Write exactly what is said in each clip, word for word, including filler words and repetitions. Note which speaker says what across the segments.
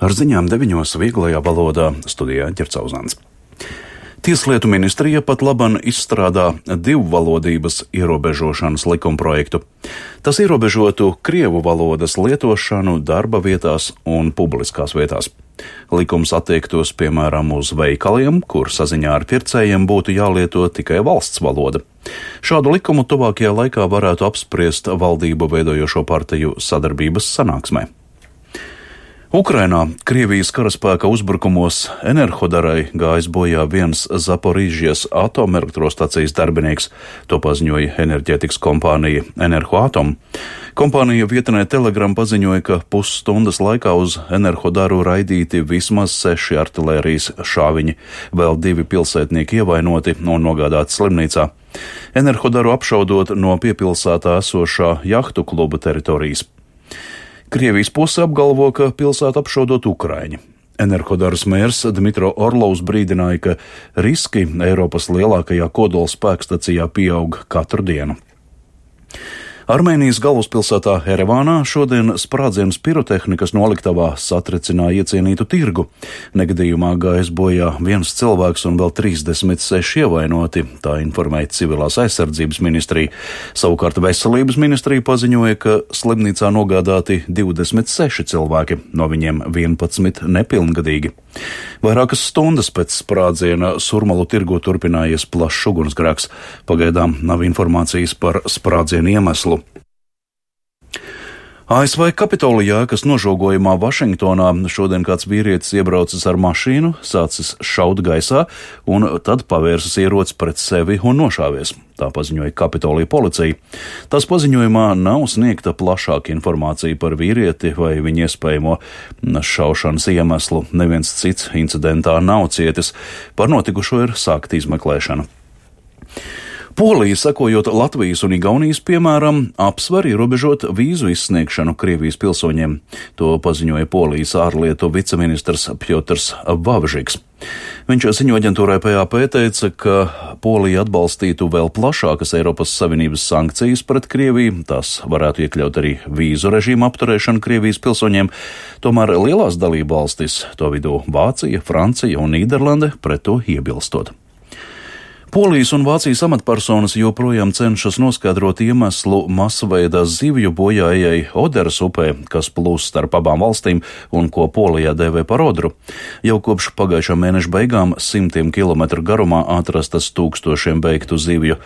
Speaker 1: Ar ziņām deviņos vieglajā valodā studijā Ģercauzāns. Tieslietu ministrija pat laban izstrādā divvalodības ierobežošanas likumprojektu. Tas ierobežotu krievu valodas lietošanu darba vietās un publiskās vietās. Likums attiektos piemēram uz veikaliem, kur saziņā ar pircējiem būtu jālieto tikai valsts valoda. Šādu likumu tuvākajā laikā varētu apspriest valdību veidojošo partiju sadarbības sanāksmē. Ukrainā Krievijas karaspēka uzbrukumos Enerhodarai gājis bojā viens Zaporīžijas atomelektrostacijas darbinieks, to paziņoja enerģētikas kompānija Enerhoatom. Kompānija vietnē Telegram paziņoja, ka pusstundas laikā uz Enerhodaru raidīti vismaz seši artilērijas šāviņi, vēl divi pilsētnieki ievainoti un nogādāti slimnīcā. Enerhodaru apšaudot no piepilsētā esošā jahtu kluba teritorijas. Krievijas puse apgalvo, ka pilsētu apšaudot Ukraiņi. Enerhodaras mērs Dmitro Orlovs brīdināja, ka riski Eiropas lielākajā kodola spēkstacijā pieaug katru dienu. Armēnijas galvaspilsētā Erevānā šodien sprādziens pirotehnikas noliktavā satricināja iecienītu tirgu. Negadījumā gājis bojā viens cilvēks un vēl trīsdesmit seši ievainoti, tā informēja civilās aizsardzības ministrija. Savukārt veselības ministrija paziņoja, ka slimnīcā nogādāti divdesmit seši cilvēki, no viņiem vienpadsmit nepilngadīgi. Vairākas stundas pēc sprādziena Surmalu tirgu turpinājies plašs ugunsgrēks. Pagaidām nav informācijas par sprādzienu iemeslu. A S V Kapitolijā, kas nožogojumā Vašingtonā, šodien kāds vīrietis iebraucis ar mašīnu, sācis šaut gaisā un tad pavērsis ieroci pret sevi un nošāvies. Tā paziņoja Kapitolija policija. Tās paziņojumā nav sniegta plašāka informācija par vīrieti vai viņa iespējamo šaušanas iemeslu. Neviens cits incidentā nav cietis. Par notikušo ir sākta izmeklēšana. Polija, sekojot Latvijas un Igaunijas piemēram, apsver ierobežot vīzu izsniegšanu Krievijas pilsoņiem. To paziņoja Polijas ārlietu viceministrs Pjotrs Vavžiks. Viņš ziņo aģentūrai P A P teica, ka Polija atbalstītu vēl plašākas Eiropas Savienības sankcijas pret Krieviju. Tas varētu iekļaut arī vīzu režīmu apturēšanu Krievijas pilsoņiem. Tomēr lielās dalību valstis, to vidū Vācija, Francija un Nīderlande, pret to iebilstot. Polijas un Vācijas amatpersonas joprojām cenšas noskaidrot iemeslu masveida zivju bojājai Oderas upē, kas plūst starp abām valstīm un ko Polijā dēvē par Odru. Jau kopš pagājušā mēneša beigām simtiem kilometru garumā atrastas tūkstošiem beigtu zivju.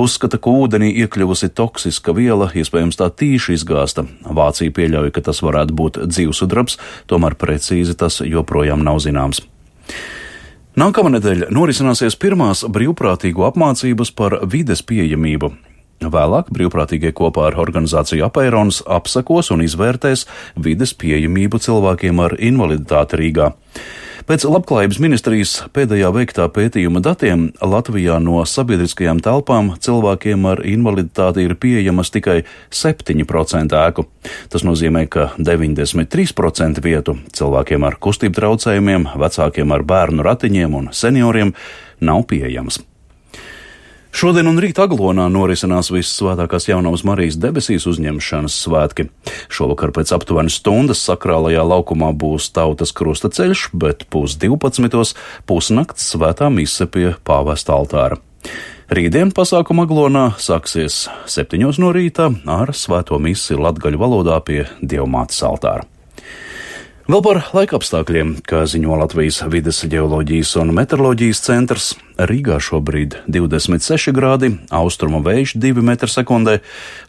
Speaker 1: Uzskata, ka ūdenī iekļuvusi toksiska viela, iespējams tā tīši izgāsta. Vācija pieļauj, ka tas varētu būt dzīvsudrabs, tomēr precīzi tas joprojām nav zināms. Nākamā nedēļa norisināsies pirmās brīvprātīgo apmācības par vides pieejamību. Vēlāk brīvprātīgie kopā ar organizāciju Apeirons apsekos un izvērtēs vides pieejamību cilvēkiem ar invaliditāti Rīgā. Pēc Labklājības ministrijas pēdējā veiktā pētījuma datiem Latvijā no sabiedriskajām telpām cilvēkiem ar invaliditāti ir pieejamas tikai septiņi procenti ēku. Tas nozīmē, ka deviņdesmit trīs procenti vietu cilvēkiem ar kustību traucējumiem, vecākiem ar bērnu ratiņiem un senioriem nav pieejamas. Šodien un rīt Aglonā norisinās Vissvētākās Jaunavas Marijas debesīs uzņemšanas svētki. Šovakar pēc aptuveni stundas sakrālajā laukumā būs tautas krusta ceļš, bet pus divpadsmitos pusnakts svētā mise pie pāvesta altāra. Rītdien pasākuma Aglonā sāksies septiņos no rīta ar svēto misi latgaļu valodā pie Dievmātes altāra. Vēl par laikapstākļiem, kā ziņo Latvijas vides ģeoloģijas un meteoroloģijas centrs, Rīgā šobrīd divdesmit seši grādi, austrumu vējš divi metri sekundē,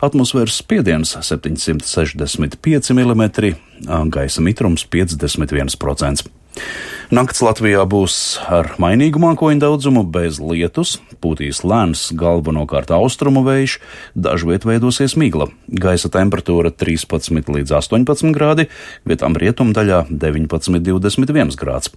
Speaker 1: atmosfēras spiediens septiņsimt sešdesmit pieci milimetri, gaisa mitrums piecdesmit viens procents. Nakts Latvijā būs ar mainīgu mākoņu daudzumu, bez lietus, pūtīs lēns galvenokārt austrumu vējš, dažviet veidosies migla. Gaisa temperatūra trīspadsmit līdz astoņpadsmit grādi, vietām rietumdaļā deviņpadsmit līdz divdesmit viens grāds.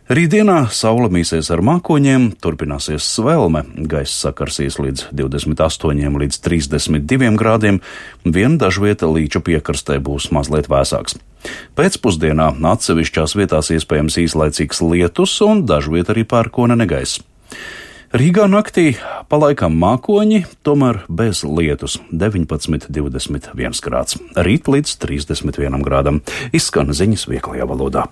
Speaker 1: Rītdienā saule mīsies ar mākoņiem, turpināsies svelme, gaisa sakarsīs līdz divdesmit astoņiem līdz trīsdesmit diviem grādiem, vien dažvieta līča piekrastē būs mazliet vēsāks. Pēcpusdienā atsevišķās vietās iespējams īslaicīgs lietus un dažviet arī pērkona negaiss. Rīgā naktī palaikam mākoņi, tomēr bez lietus - deviņpadsmit, divdesmit viens grāds. Rīt līdz trīsdesmit vienam grādam. Izskan ziņas vieglajā valodā.